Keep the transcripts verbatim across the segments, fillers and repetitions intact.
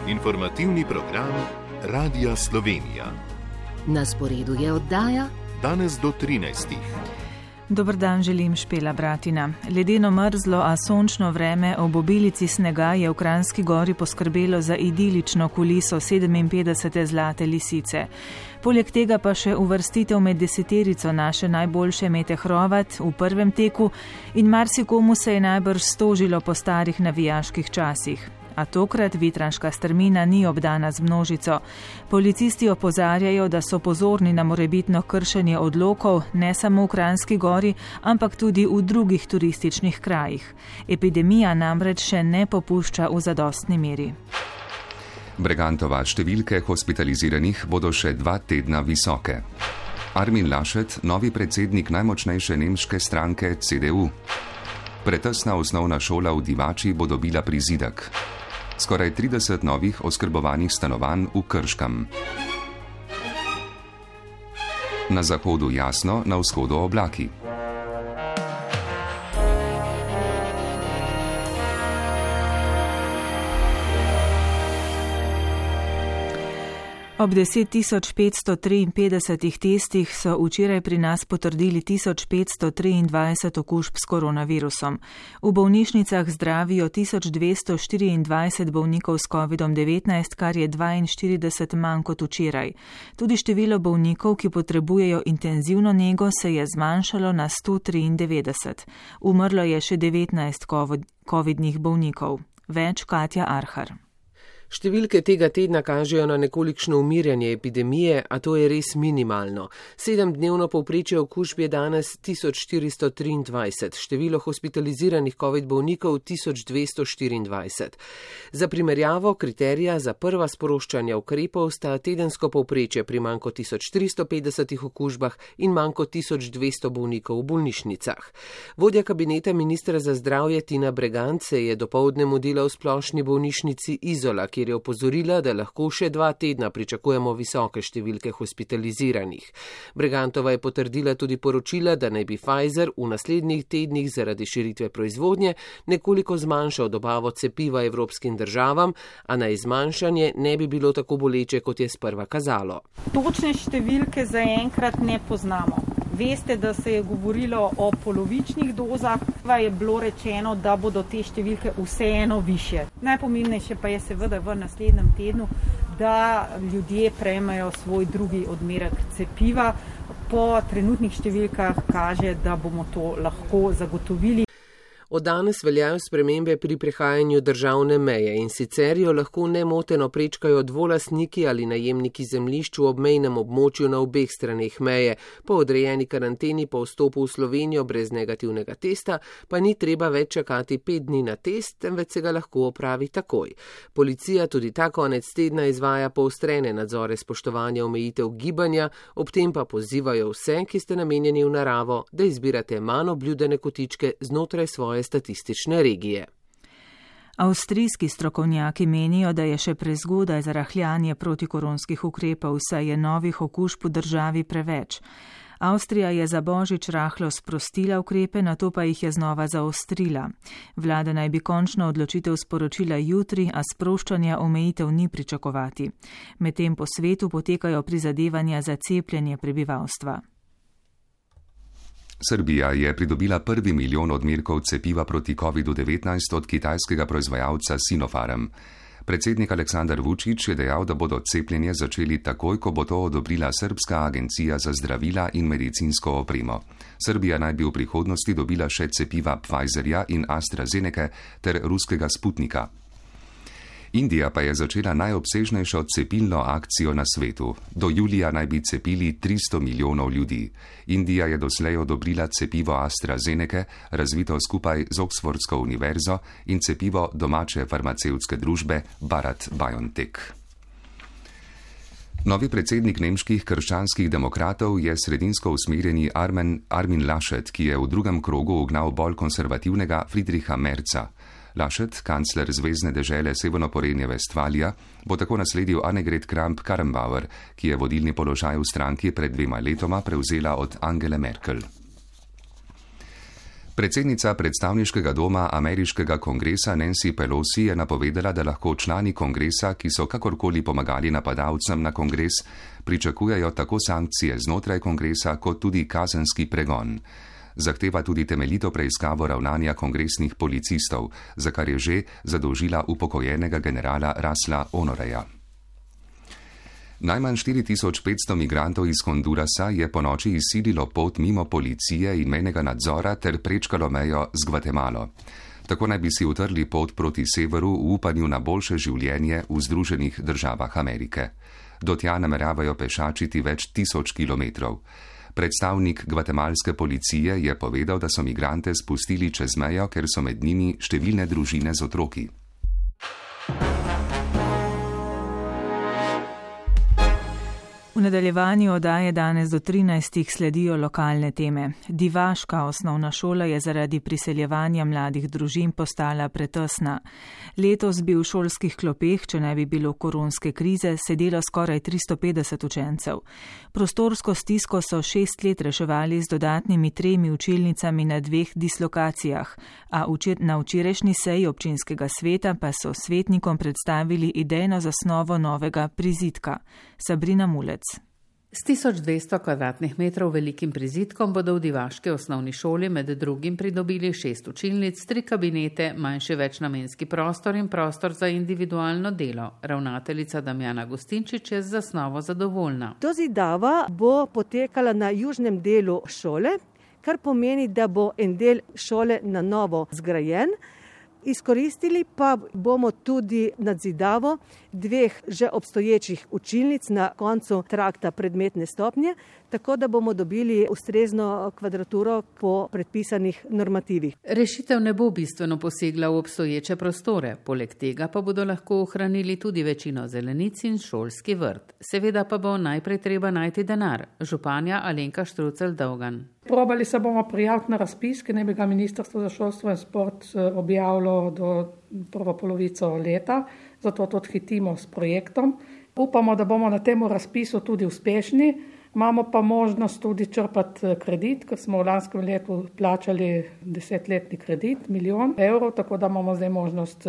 Informativni program Radia Slovenija. Na sporedu je oddaja Danes do trinajstih. Dober dan, želim Špela Bratina. Ledeno mrzlo, a sončno vreme ob obilici snega je v Kranjski Gori poskrbelo za idilično kuliso sedeminpetdesete zlate lisice. Poleg tega pa še uvrstitev med deseterico naše najboljše Mete Hrovat v prvem teku in marsikomu se je najbrž stožilo po starih navijaških časih. A tokrat vitranška strmina ni obdana z množico. Policisti opozarjajo, da so pozorni na morebitno kršenje odlokov, ne samo v Kranjski Gori, ampak tudi v drugih turističnih krajih. Epidemija namreč še ne popušča v zadostni meri. Bregantova številke hospitaliziranih bodo še dva tedna visoke. Armin Laschet, novi predsednik najmočnejše nemške stranke C D U. Pretesna osnovna šola v Divači bo dobila prizidek. Skoraj trideset novih oskrbovanih stanovanj v Krškem. Na zahodu jasno, na vzhodu oblaki. Ob deset tisoč petsto triinpetdesetih testih so včeraj pri nas potrdili tisoč petsto triindvajset okužb s koronavirusom. V bolnišnicah zdravijo tisoč dvesto štiriindvajset bolnikov s kovidom devetnajst, kar je dvainštirideset manj kot včeraj. Tudi število bolnikov, ki potrebujejo intenzivno nego, se je zmanjšalo na sto triindevetdeset. Umrlo je še devetnajst covidnih bolnikov. Več Katja Arhar. Številke tega tedna kažejo na nekolikšno umirjanje epidemije, a to je res minimalno. Sedemdnevno povprečje okužb je danes tisoč štiristo triindvajset, število hospitaliziranih covid bolnikov tisoč dvesto štiriindvajset. Za primerjavo kriterija za prva sproščanja ukrepov sta tedensko povprečje pri manj kot tisoč tristo petdesetih okužbah in manj kot tisoč dvesto bolnikov v bolnišnicah. Vodja kabineta ministra za zdravje Tina Bregant se je dopoldne mudila v splošni bolnišnici Izola, kjer je opozorila, da lahko še dva tedna pričakujemo visoke številke hospitaliziranih. Bregantova je potrdila tudi poročila, da naj bi Pfizer v naslednjih tednih zaradi širitve proizvodnje nekoliko zmanjšal dobavo cepiva evropskim državam, a naj zmanjšanje ne bi bilo tako boleče, kot je sprva kazalo. Točne številke zaenkrat ne poznamo. Veste, da se je govorilo o polovičnih dozah, pa je bilo rečeno, da bodo te številke vseeno višje. Najpomembnejše pa je seveda v naslednjem tednu, da ljudje prejmejo svoj drugi odmerek cepiva. Po trenutnih številkah kaže, da bomo to lahko zagotovili. Od danes veljajo spremembe pri prehajanju državne meje in sicer jo lahko nemoteno prečkajo dvolastniki ali najemniki zemljišč v obmejnem območju na obeh straneh meje. Po odrejeni karanteni po vstopu v Slovenijo brez negativnega testa pa ni treba več čakati pet dni na test, temveč se ga lahko opravi takoj. Policija tudi ta konec tedna izvaja poostrene nadzore spoštovanja omejitev gibanja, ob tem pa pozivajo vse, ki ste namenjeni v naravo, da izbirate manj obljudene kotičke znotraj svoje statistične regije. Avstrijski strokovnjaki menijo, da je še prezgodaj za rahljanje protikoronskih ukrepov, saj je novih okužb v državi preveč. Avstrija je za božič rahlo sprostila ukrepe, nato pa jih je znova zaostrila. Vlada naj bi končno odločitev sporočila jutri, a sproščanja omejitev ni pričakovati. Medtem po svetu potekajo prizadevanja za cepljenje prebivalstva. Srbija je pridobila prvi milijon odmerkov cepiva proti kovidu devetnajst od kitajskega proizvajalca Sinopharm. Predsednik Aleksandar Vučić je dejal, da bodo cepljenje začeli takoj, ko bo to odobrila Srbska agencija za zdravila in medicinsko opremo. Srbija naj bi v prihodnosti dobila še cepiva Pfizerja in AstraZeneca ter ruskega Sputnika. Indija pa je začela najobsežnejšo cepilno akcijo na svetu. Do julija naj bi cepili tristo milijonov ljudi. Indija je doslej odobrila cepivo AstraZeneca, razvito skupaj z Oxfordsko univerzo, in cepivo domače farmacevtske družbe Bharat BioNTech. Novi predsednik nemških krščanskih demokratov je sredinsko usmerjeni Armin, Armin Laschet, ki je v drugem krogu ugnal bolj konservativnega Friedricha Merza. Laschet, kancler zvezne dežele Severnoporenje Vestfalija, bo tako nasledil Annegret Kramp-Karrenbauer, ki je vodilni položaj v stranki pred dvema letoma prevzela od Angele Merkel. Predsednica predstavniškega doma ameriškega kongresa Nancy Pelosi je napovedala, da lahko člani kongresa, ki so kakorkoli pomagali napadalcem na kongres, pričakujejo tako sankcije znotraj kongresa kot tudi kazenski pregon. Zahteva tudi temeljito preiskavo ravnanja kongresnih policistov, za kar je že zadolžila upokojenega generala Russella Honoreja. Najmanj štiri tisoč petsto migrantov iz Hondurasa je ponoči izsililo pot mimo policije in mejnega nadzora ter prečkalo mejo z Gvatemalo. Tako naj bi si utrli pot proti severu v upanju na boljše življenje v Združenih državah Amerike. Do tja nameravajo pešačiti več tisoč kilometrov. Predstavnik gvatemalske policije je povedal, da so migrante spustili čez mejo, ker so med njimi številne družine z otroki. V nadaljevanju oddaje danes do trinajstih sledijo lokalne teme. Divaška osnovna šola je zaradi priseljevanja mladih družin postala pretesna. Letos bi v šolskih klopeh, če ne bi bilo koronske krize, sedelo skoraj tristo petdeset učencev. Prostorsko stisko so šest let reševali z dodatnimi tremi učilnicami na dveh dislokacijah, a na včerajšnji seji občinskega sveta pa so svetnikom predstavili idejno zasnovo novega prizidka. Sabrina Mulec. S tisoč dvesto kvadratnih metrov velikim prizidkom bodo v divaški osnovni šoli med drugim pridobili šest učilnic, tri kabinete, manjši večnamenski prostor in prostor za individualno delo. Ravnateljica Damjana Gostinčič je z zasnovo zadovoljna. Dozidava bo potekala na južnem delu šole, kar pomeni, da bo en del šole na novo zgrajen. Izkoristili pa bomo tudi nadzidavo dveh že obstoječih učilnic na koncu trakta predmetne stopnje, tako da bomo dobili ustrezno kvadraturo po predpisanih normativih. Rešitev ne bo bistveno posegla v obstoječe prostore, poleg tega pa bodo lahko ohranili tudi večino zelenic in šolski vrt. Seveda pa bo najprej treba najti denar. Županja Alenka Štrucelj-Dolgan. Probali se bomo prijaviti na razpis, ki naj bi ga Ministrstvo za šolstvo in šport objavilo do prvo polovico leta, zato tudi hitimo s projektom. Upamo, da bomo na tem razpisu tudi uspešni, imamo pa možnost tudi črpati kredit, ker smo v lanskem letu plačali desetletni kredit, milijon evrov, tako da imamo zdaj možnost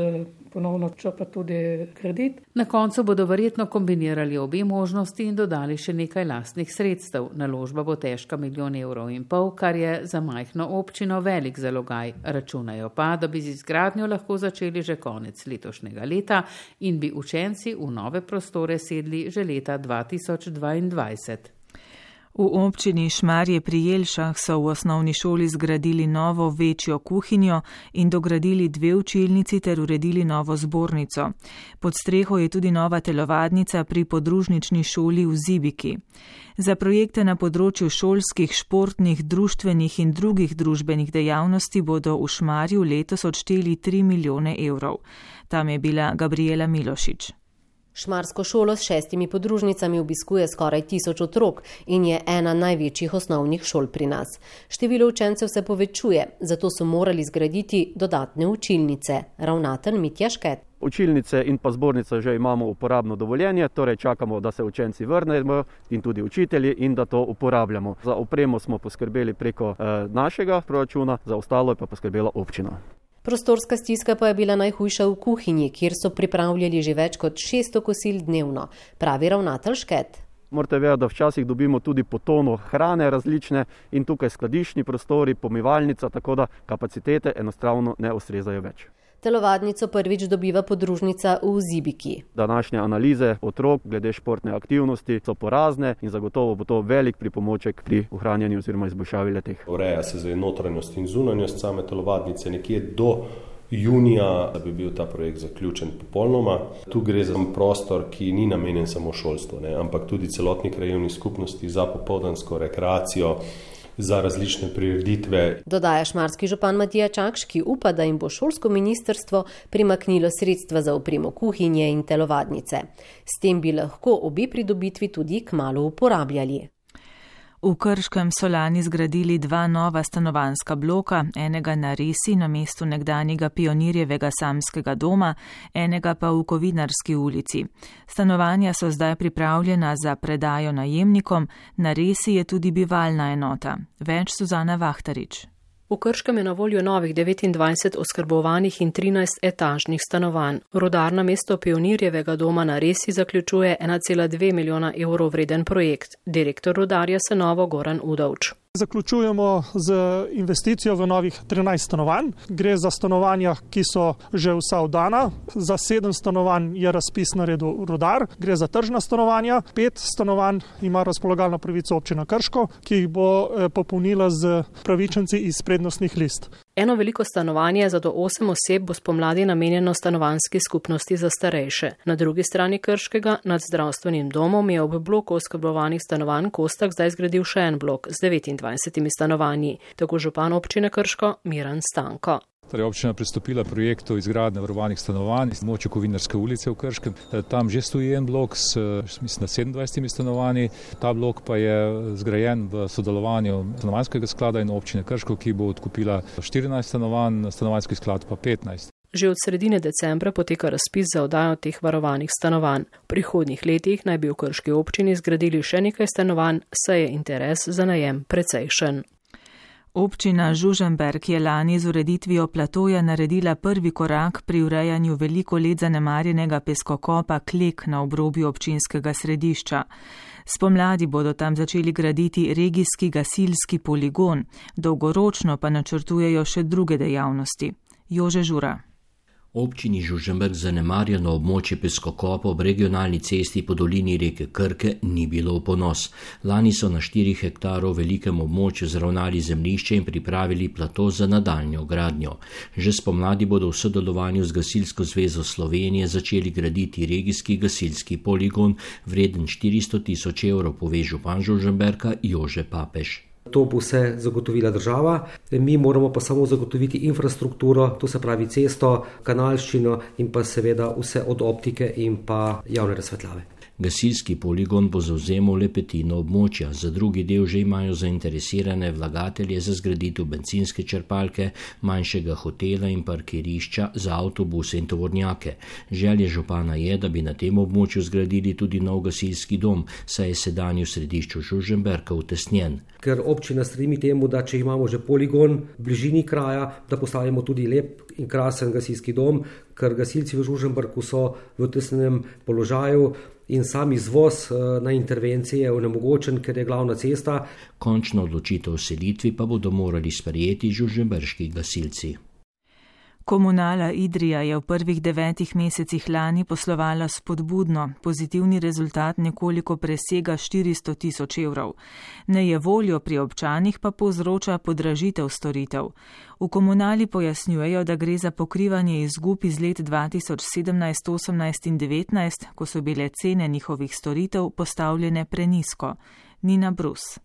ponovno črpati tudi kredit. Na koncu bodo verjetno kombinirali obe možnosti in dodali še nekaj lastnih sredstev. Naložba bo težka milijon evrov in pol, kar je za majhno občino velik zalogaj. Računajo pa, da bi z izgradnjo lahko začeli že konec letošnjega leta in bi učenci v nove prostore sedli že leta dva tisoč dvaindvajset. V občini Šmarje pri Jelšah so v osnovni šoli zgradili novo večjo kuhinjo in dogradili dve učilnici ter uredili novo zbornico. Pod streho je tudi nova telovadnica pri podružnični šoli v Zibiki. Za projekte na področju šolskih, športnih, društvenih in drugih družbenih dejavnosti bodo v Šmarju letos odšteli tri milijone evrov. Tam je bila Gabriela Milošič. Šmarsko šolo s šestimi podružnicami obiskuje skoraj tisoč otrok in je ena največjih osnovnih šol pri nas. Število učencev se povečuje, zato so morali zgraditi dodatne učilnice. Ravnatelj Mitja Šket. Učilnice in pa zbornice že imamo uporabno dovoljenje, torej čakamo, da se učenci vrnejo in tudi učitelji in da to uporabljamo. Za opremo smo poskrbeli preko eh, našega proračuna, za ostalo je pa poskrbela občina. Prostorska stiska pa je bila najhujša v kuhinji, kjer so pripravljali že več kot šeststo kosil dnevno, pravi ravnatelj Šket. Morate vedeti, da včasih dobimo tudi po tono hrane različne in tukaj skladiščni prostori, pomivalnica, tako da kapacitete enostavno ne ustrezajo več. Telovadnico prvič dobiva podružnica v Zibiki. Današnje analize otrok glede športne aktivnosti so porazne in zagotovo bo to velik pripomoček pri ohranjanju oziroma izboljšavi le-teh. Ureja se za notranjost in zunanjost same telovadnice nekje do junija, da bi bil ta projekt zaključen popolnoma. Tu gre za prostor, ki ni namenjen samo šolstvu, ne, ampak tudi celotni krajevni skupnosti za popoldansko rekreacijo, za različne prireditve. Dodaja šmarski župan Matija Čakš, ki upa, da jim bo šolsko ministrstvo primaknilo sredstva za opremo kuhinje in telovadnice. S tem bi lahko obe pridobitvi tudi kmalu uporabljali. V Krškem so lani zgradili dva nova stanovanjska bloka, enega na Resi na mestu nekdanjega pionirjevega samskega doma, enega pa v Kovinarski ulici. Stanovanja so zdaj pripravljena za predajo najemnikom, na Resi je tudi bivalna enota. Več Suzana Vahtarič. V Krškem je na voljo novih devetindvajset oskrbovanih in trinajst etažnih stanovanj. Rudar namesto Pionirjevega doma na Resi zaključuje ena cela dve milijona evrov vreden projekt. Direktor Rudarja Senovo Goran Udovč. Zaključujemo z investicijo v novih trinajst stanovanj. Gre za stanovanja, ki so že vsa oddana. Za sedem stanovanj je razpis naredil Rudar. Gre za tržna stanovanja. Pet stanovanj ima razpolagalno pravico občina Krško, ki jih bo popolnila z pravičenci iz prednostnih list. Eno veliko stanovanje za do osem oseb bo spomladi namenjeno stanovanjski skupnosti za starejše. Na drugi strani Krškega nad zdravstvenim domom je ob bloku oskrbovanih stanovanj Kostak zdaj zgradil še en blok z devetindvajsetimi stanovanji. Tako župan občine Krško Miran Stanko. Torej, občina pristopila projektu izgradnje varovanih stanovanj v območju Kovinarske ulice v Krškem. Tam že stoji en blok s mislim, sedemindvajsetimi stanovanji. Ta blok pa je zgrajen v sodelovanju stanovanjskega sklada in občine Krško, ki bo odkupila štirinajst stanovanj, stanovanjski sklad pa petnajst. Že od sredine decembra poteka razpis za oddajo teh varovanih stanovanj. V prihodnjih letih naj bi v Krški občini zgradili še nekaj stanovanj, saj je interes za najem precejšen. Občina Žužemberk je lani z ureditvijo platoja naredila prvi korak pri urejanju veliko let zanemarjenega peskokopa Klek na obrobju občinskega središča. Spomladi bodo tam začeli graditi regijski gasilski poligon, dolgoročno pa načrtujejo še druge dejavnosti. Jože Žura. Občini Žužemberk zanemarjeno območje peskokopa ob regionalni cesti po dolini reke Krke ni bilo v ponos. Lani so na štirih hektarov velikem območju zravnali zemljišče in pripravili plato za nadaljnjo gradnjo. Že spomladi bodo v sodelovanju z Gasilsko zvezo Slovenije začeli graditi regijski gasilski poligon vreden štiristo tisoč evrov, pove župan Žužemberka Jože Papež. To bo vse zagotovila država, mi moramo pa samo zagotoviti infrastrukturo, to se pravi cesto, kanalščino in pa seveda vse od optike in pa javne razsvetljave. Gasilski poligon bo zavzemal le petino območja, za drugi del že imajo zainteresirane vlagatelje za zgraditev bencinske črpalke, manjšega hotela in parkirišča za avtobuse in tovornjake. Želja župana je, da bi na tem območju zgradili tudi nov gasilski dom, saj je sedanji v središču Žužemberka utesnjen. Ker občina stremi temu, da če imamo že poligon v bližini kraja, da postavimo tudi lep in krasen gasilski dom, ker gasilci v Žužemberku so v utesnenem položaju in sam izvoz na intervencije je onemogočen, ker je glavna cesta. Končno odločitev o selitvi pa bodo morali sprejeti žužemberški gasilci. Komunala Idrija je v prvih devetih mesecih lani poslovala spodbudno, pozitivni rezultat nekoliko presega štiristo tisoč evrov. Nejevoljo pri občanih pa povzroča podražitev storitev. V komunali pojasnjujejo, da gre za pokrivanje izgub iz let dva tisoč sedemnajst, osemnajst in devetnajst, ko so bile cene njihovih storitev postavljene prenisko. Nina Brus.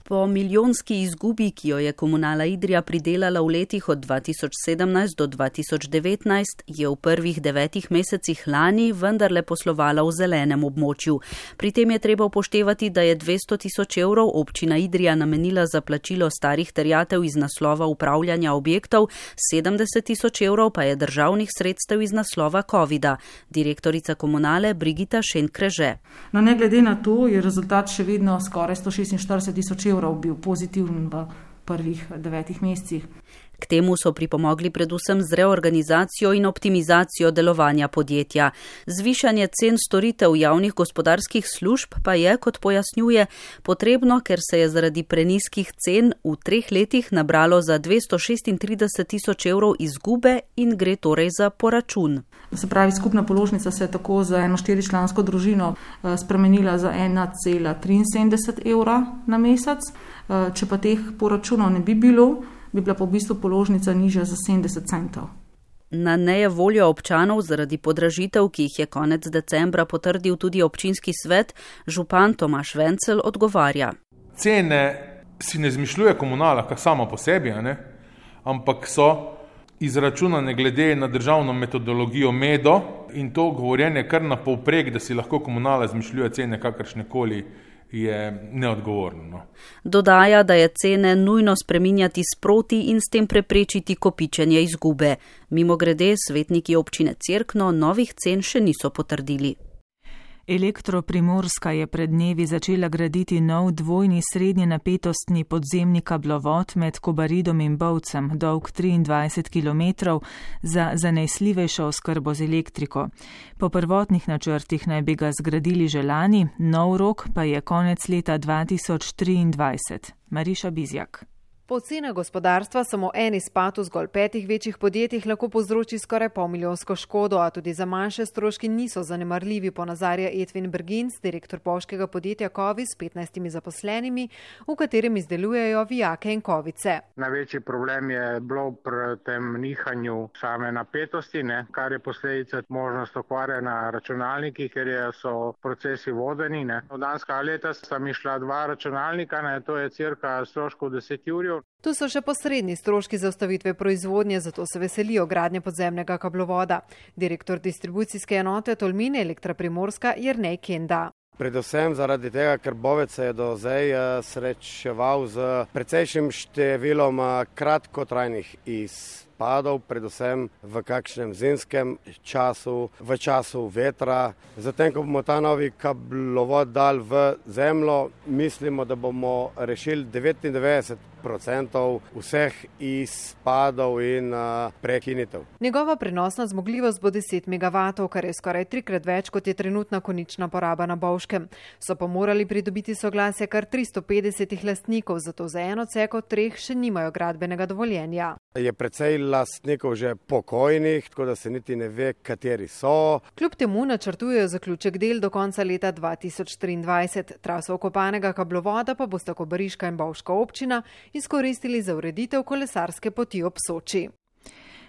Po milijonski izgubi, ki jo je komunala Idrija pridelala v letih od dva tisoč sedemnajst do dva tisoč devetnajst, je v prvih devetih mesecih lani vendarle poslovala v zelenem območju. Pri tem je treba upoštevati, da je dvesto tisoč evrov občina Idrija namenila za plačilo starih terjatev iz naslova upravljanja objektov, sedemdeset tisoč evrov pa je državnih sredstev iz naslova covida. Direktorica komunale Brigita Šenkreže. No, ne glede na to, je rezultat še vedno skoraj sto šestinštirideset tisoč evrov bil pozitiven v prvih devetih mesecih. K temu so pripomogli predvsem z reorganizacijo in optimizacijo delovanja podjetja. Zvišanje cen storitev javnih gospodarskih služb pa je, kot pojasnjuje, potrebno, ker se je zaradi prenizkih cen v treh letih nabralo za dvesto šestintrideset tisoč evrov izgube in gre torej za poračun. Se pravi, skupna položnica se je tako za eno štiričlansko družino spremenila za ena cela triinsedemdeset evra na mesec. Če pa teh poračunov ne bi bilo, bi bila pa v bistvu položnica nižja za sedemdeset centov. Na nejevoljo občanov zaradi podražitev, ki jih je konec decembra potrdil tudi občinski svet, župan Tomaž Vencel odgovarja. Cene si ne izmišljuje komunala kar sama po sebi, ne? Ampak so izračunane glede na državno metodologijo MEDO in to govorjenje kar na povprek, da si lahko komunala izmišljuje cene kakršnekoli, je neodgovorno. No. Dodaja, da je cene nujno spreminjati sproti in s tem preprečiti kopičenje izgube. Mimogrede, svetniki občine Cerkno novih cen še niso potrdili. Elektro-Primorska je pred dnevi začela graditi nov dvojni srednje napetostni podzemni kablovod med Kobaridom in Bovcem, dolg triindvajset kilometrov, za zanesljivejšo oskrbo z elektriko. Po prvotnih načrtih naj bi ga zgradili že lani, nov rok pa je konec leta dva tisoč triindvajset. Mariša Bizjak. Po ocenah gospodarstva samo en izpad v zgolj petih večjih podjetjih lahko povzroči skoraj pol milijonsko škodo, a tudi za manjše stroški niso zanemarljivi, ponazarja Edvin Bergins, direktor bovškega podjetja Kovi s petnajstimi zaposlenimi, v katerem izdelujejo vijake in kovice. Največji problem je bilo pri tem nihanju same napetosti, ne, kar je posledica možnost okvare na računalnikih, ker je, so procesi vodeni. Ne. V danska leta sta mi šla dva računalnika, ne, to je cirka stroškov deset jurjev. Tu so še posredni stroški za ustavitve proizvodnje, zato se veselijo gradnje podzemnega kablovoda. Direktor distribucijske enote Tolmin Elektra Primorska Jernej Kenda. Predvsem zaradi tega, ker Bovec se je do zdaj srečeval z precejšnjim številom kratkotrajnih izpadov, predvsem v kakšnem zimskem času, v času vetra. Zatem, ko bomo ta novi kablovod dal v zemljo, mislimo, da bomo rešili devetindevetdeset procentov vseh izpadov in uh, prekinitev. Njegova prenosna zmogljivost bo deset megavatov, kar je skoraj trikrat več, kot je trenutna konična poraba na Bovškem. So pa morali pridobiti soglasje kar tristo petdesetih lastnikov, zato za eno ceko treh še nimajo gradbenega dovoljenja. Je precej lastnikov že pokojnih, tako da se niti ne ve, kateri so. Kljub temu načrtujejo zaključek del do konca leta dva tisoč triindvajset. Traso okopanega kablovoda pa bosta Kobariška in Bovška občina izkoristili za ureditev kolesarske poti ob Soči.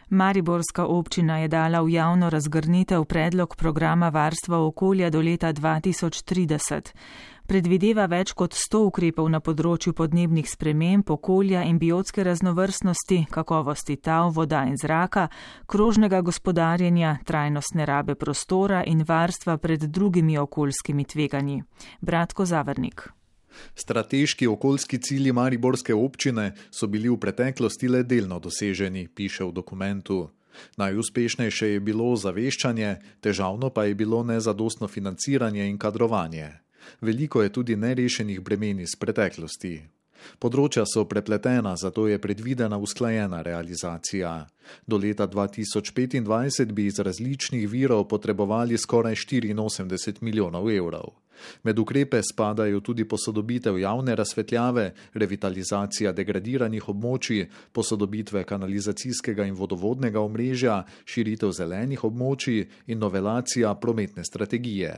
Mariborska občina je dala v javno razgrnitev predlog programa varstva okolja do leta dva tisoč trideset. Predvideva več kot sto ukrepov na področju podnebnih sprememb, okolja in biotske raznovrstnosti, kakovosti tal, voda in zraka, krožnega gospodarjenja, trajnostne rabe prostora in varstva pred drugimi okoljskimi tveganji. Bratko Zavrnik. Strateški okoljski cilji mariborske občine so bili v preteklosti le delno doseženi, piše v dokumentu. Najuspešnejše je bilo zaveščanje, težavno pa je bilo nezadostno financiranje in kadrovanje. Veliko je tudi nerešenih bremen iz preteklosti. Področja so prepletena, zato je predvidena usklajena realizacija. Do leta dva tisoč petindvajset bi iz različnih virov potrebovali skoraj štiriinosemdeset milijonov evrov. Med ukrepe spadajo tudi posodobitev javne razsvetljave, revitalizacija degradiranih območij, posodobitve kanalizacijskega in vodovodnega omrežja, širitev zelenih območij in novelacija prometne strategije.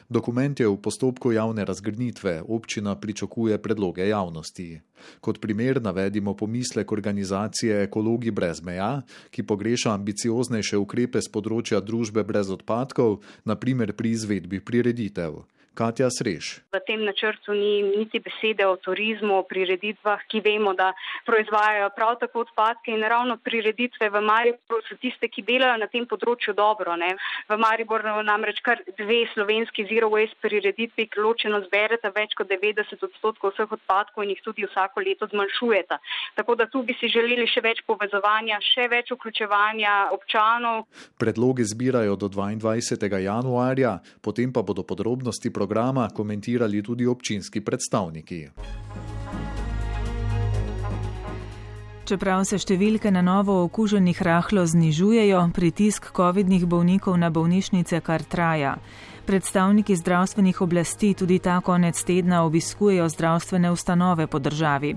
Dokument je v postopku javne razgrnitve, občina pričakuje predloge javnosti. Kot primer navedimo pomislek organizacije Ekologi brez meja, ki pogreša ambicioznejše ukrepe z področja družbe brez odpadkov, na primer pri izvedbi prireditev. Katja Sreš. V tem načrtu ni niti besede o turizmu, o prireditvah, ki vemo, da proizvajajo prav tako odpadke, in ravno prireditve v Mariboru so tiste, ki delajo na tem področju dobro. Ne? V Mariboru namreč kar dve slovenski zero waste prireditvi, ki ločeno zbereta več kot devetdeset odstotkov vseh odpadkov in jih tudi vsako leto zmanjšujeta. Tako da tu bi si želeli še več povezovanja, še več vključevanja občanov. Predloge zbirajo do dvaindvajsetega januarja, potem pa bodo podrobnosti programa komentirali tudi občinski predstavniki. Čeprav se številke na novo okuženih rahlo znižujejo, pritisk covidnih bolnikov na bolnišnice kar traja. Predstavniki zdravstvenih oblasti tudi ta konec tedna obiskujejo zdravstvene ustanove po državi.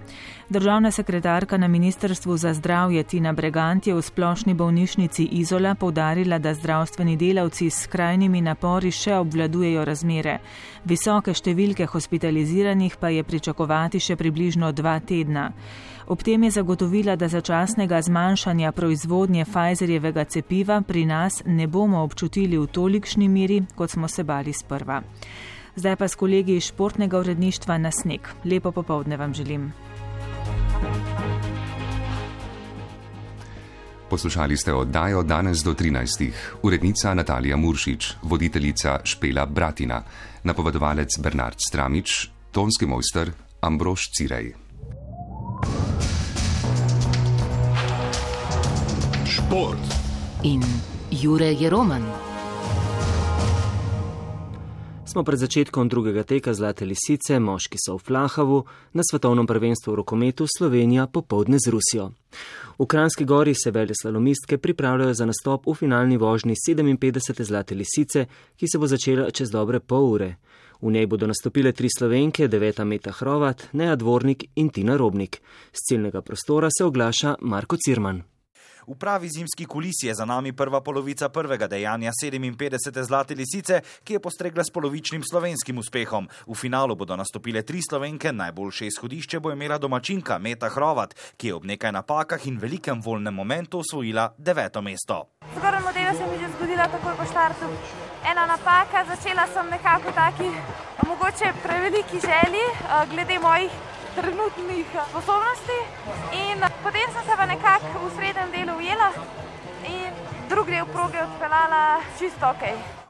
Državna sekretarka na Ministrstvu za zdravje Tina Bregant je v splošni bolnišnici Izola poudarila, da zdravstveni delavci s skrajnimi napori še obvladujejo razmere. Visoke številke hospitaliziranih pa je pričakovati še približno dva tedna. Ob tem je zagotovila, da začasnega zmanjšanja proizvodnje Pfizerjevega cepiva pri nas ne bomo občutili v tolikšni meri, kot smo se bali sprva. Zdaj pa s kolegi iz športnega uredništva na sneg. Lepo popoldne vam želim. Poslušali ste oddajo Danes do trinajstih. Urednica Natalija Muršič, voditeljica Špela Bratina, napovedovalec Bernard Stramič, tonski mojster Ambrož Cirej. Šport in Jure Jeroman. Smo pred začetkom drugega teka Zlate lisice, moški so v Flahavu, na svetovnem prvenstvu v rokometu Slovenija popoldne z Rusijo. V Kranjski Gori se veleslalomistke pripravljajo za nastop v finalni vožnji sedeminpetdesete Zlate lisice, ki se bo začela čez dobre pol ure. V njej bodo nastopile tri Slovenke, deveta Meta Hrovat, Neja Dvornik in Tina Robnik. Z ciljnega prostora se oglaša Marko Cirman. V pravi zimski kulisi je za nami prva polovica prvega dejanja sedeminpetdesete Zlate lisice, ki je postregla s polovičnim slovenskim uspehom. V finalu bodo nastopile tri Slovenke, najboljše izhodišče bo imela domačinka Meta Hrovat, ki je ob nekaj napakah in velikem voljnem momentu osvojila deveto mesto. Zgornji model se mi že zgodila takoj po štartu. Ena napaka, začela sem nekako taki mogoče preveliki želji glede mojih trenutnih sposobnosti in potem sem se pa nekako v srednjem delu ujela in drugi del proge odpeljala čisto ok.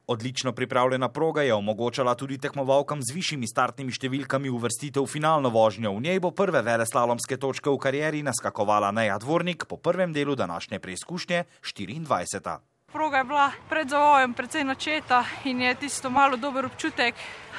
Odlično pripravljena proga je omogočala tudi tekmovalkam z višjimi startnimi številkami uvrstitev v finalno vožnjo. V njej bo prve veleslalomske točke v karieri naskakovala Neja Dvornik, po prvem delu današnje preizkušnje štiriindvajseta. Proga je bila pred zavojem precej načeta in je tisto malo dober občutek,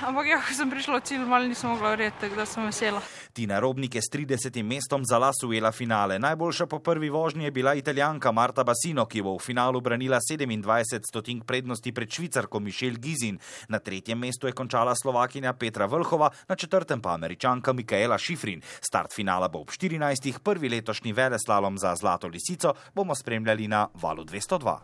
ampak ja, ko sem prišla v cilj, malo nisem mogla verjeti, tako da sem vesela. Tina Robnik je s tridesetim mestom za las ujela finale. Najboljša po prvi vožnji je bila Italijanka Marta Bassino, ki bo v finalu branila sedemindvajset stotink prednosti pred Švicarko Michelle Gizin. Na tretjem mestu je končala Slovakinja Petra Vlhova, na četrtem pa Američanka Mikaela Šifrin. Start finala bo ob štirinajstih, prvi letošnji veleslalom za Zlato lisico bomo spremljali na Valu dvesto dva.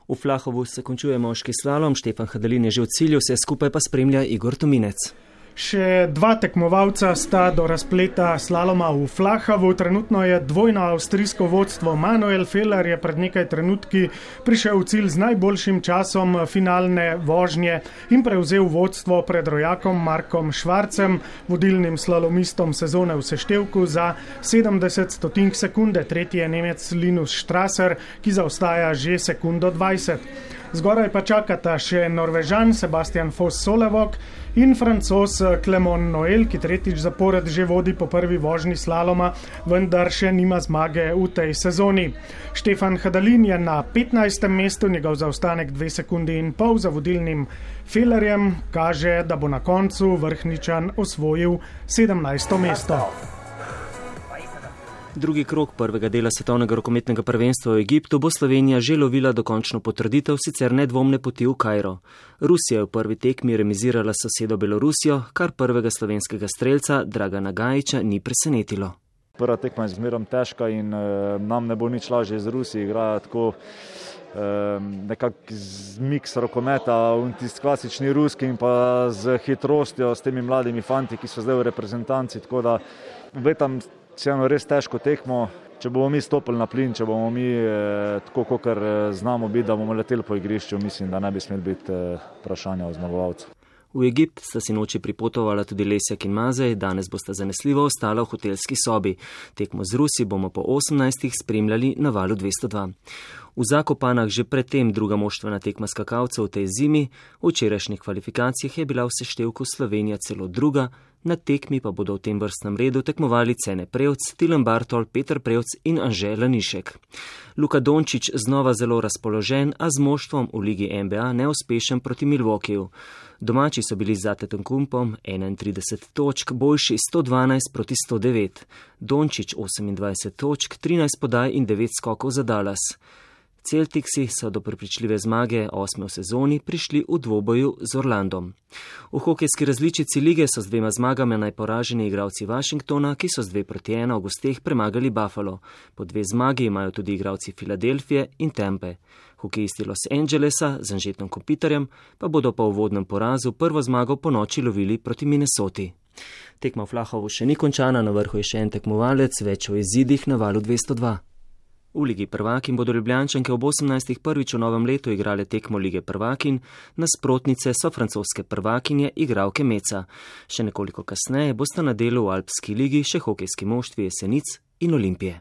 V Flahovu se končuje moški slalom, Štefan Hadalin je že v cilju, vse skupaj pa spremlja Igor Tominec. Še dva tekmovalca sta do razpleta slaloma v Flahavu. Trenutno je dvojno avstrijsko vodstvo. Manuel Feller je pred nekaj trenutki prišel v cilj z najboljšim časom finalne vožnje in prevzel vodstvo pred rojakom Markom Švarcem, vodilnim slalomistom sezone v seštevku za sedemdeset stotink sekunde. Tretji je Nemec Linus Strasser, ki zaostaja že sekundo dvajset. Zgoraj pa čakata še Norvežan Sebastian Foss-Solevok in Francoz Clement Noel, ki tretjič zapored že vodi po prvi vožnji slaloma, vendar še nima zmage v tej sezoni. Štefan Hadalin je na petnajstem mestu, njegov zaostanek dve sekundi in pol za vodilnim Fellerjem kaže, da bo na koncu Vrhničan osvojil sedemnajsto mesto. Drugi krog prvega dela svetovnega rokometnega prvenstva v Egiptu bo Slovenija že lovila dokončno potrditev sicer nedvomne poti v Kairo. Rusija je v prvi tekmi remizirala s sosedo Belorusijo, kar prvega slovenskega strelca Dragana Gajiča ni presenetilo. Prva tekma je zmerom težka in e, nam ne bo nič lažje z Rusiji, igrajo tako e, nekak miks rokometa, tisti klasični ruski in pa z hitrostjo, s temi mladimi fanti, ki so zdaj v reprezentanci, tako da vetam Vseeno res težko tekmo, če bomo mi stopili na plin, če bomo mi eh, tako, kakor znamo biti, da bomo leteli po igrišču, mislim, da ne bi smeli biti eh, vprašanja o zmagovalcu. V Egipt sta si noči pripotovala tudi Lesjak in Mazej, danes bosta zanesljivo ostala v hotelski sobi. Tekmo z Rusi bomo po osemnajstih spremljali na Valu dvesto dva. V Zakopanah že predtem druga moštvena tekma skakalcev v tej zimi, v včerajšnjih kvalifikacijah je bila v seštevku Slovenija celo druga, na tekmi pa bodo v tem vrstnem redu tekmovali Cene Prevc, Tilen Bartol, Peter Prevc in Anže Lanišek. Luka Dončić znova zelo razpoložen, a z moštvom v ligi N B A neuspešen proti Milwaukeeju. Domači so bili z Antetokounmpom enaintrideset točk, boljši sto dvanajst proti sto devet. Dončić osemindvajset točk, trinajst podaj in devet skokov za Dallas. Celticsi so do prepričljive zmage osme v sezoni prišli v dvoboju z Orlandom. V hokejski različici lige so z dvema zmagami najporaženi igralci Washingtona, ki so z dve proti ena v gosteh premagali Buffalo. Po dve zmagi imajo tudi igralci Filadelfije in Tampe. Hokejisti Los Angelesa z Anžetom Kopitarjem pa bodo po uvodnem porazu prvo zmago po noči lovili proti Minnesoti. Tekma v Flahovu še ni končana, na vrhu je še en tekmovalec, več o izidih na Valu dvesto dva. V Ligi prvakin bodo Ljubljančanke ob osemnajstih prvič v novem letu igrale tekmo Lige prvakin, nasprotnice so francoske prvakinje igralke Meca. Še nekoliko kasneje bosta na delu v Alpski ligi še hokejski moštvi Jesenic in Olimpije.